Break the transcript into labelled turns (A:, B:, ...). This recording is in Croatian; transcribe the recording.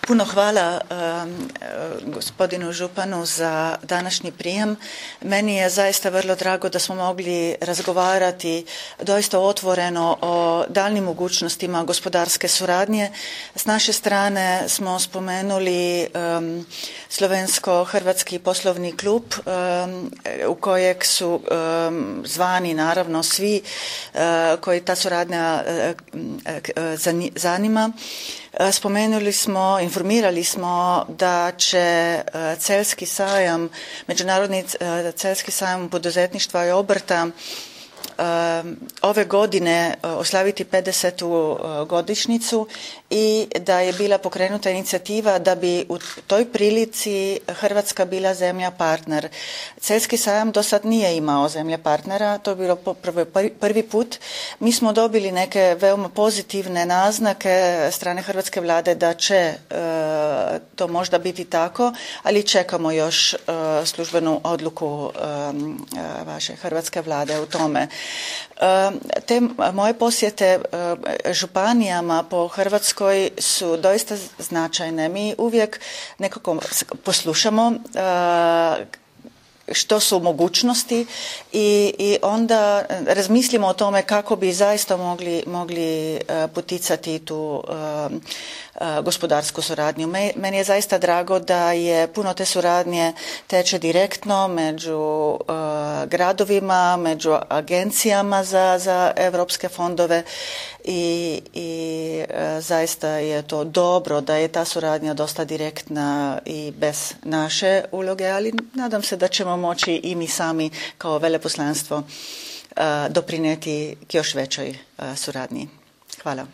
A: Puno hvala gospodinu županu za današnji prijem. Meni je zaista vrlo drago da smo mogli razgovarati doista otvoreno o daljnim mogućnostima gospodarske suradnje. S naše strane smo spomenuli Slovensko-hrvatski poslovni klub u kojeg su zvani naravno svi koji ta suradnja zanima. Spomenuli smo, informirali smo da će Celjski sajam, Međunarodni Celjski sajam poduzetništva i obrta ove godine oslaviti 50. godišnjicu i da je bila pokrenuta inicijativa da bi u toj prilici Hrvatska bila zemlja partner. Celjski sajam do sad nije imao zemlje partnera, to je bilo prvi put. Mi smo dobili neke veoma pozitivne naznake strane hrvatske vlade da će to možda biti tako, ali čekamo još službenu odluku vaše hrvatske vlade u tome. Te moje posjete županijama po Hrvatskoj su doista značajne. Mi uvijek nekako poslušamo što su mogućnosti i onda razmislimo o tome kako bi zaista mogli poticati tu gospodarsku suradnju. Meni je zaista drago da je puno te suradnje teče direktno među gradovima, među agencijama za europske fondove i zaista je to dobro da je ta suradnja dosta direktna i bez naše uloge, ali nadam se da ćemo moći i mi sami kao veleposlanstvo doprinijeti k još većoj suradnji. Hvala.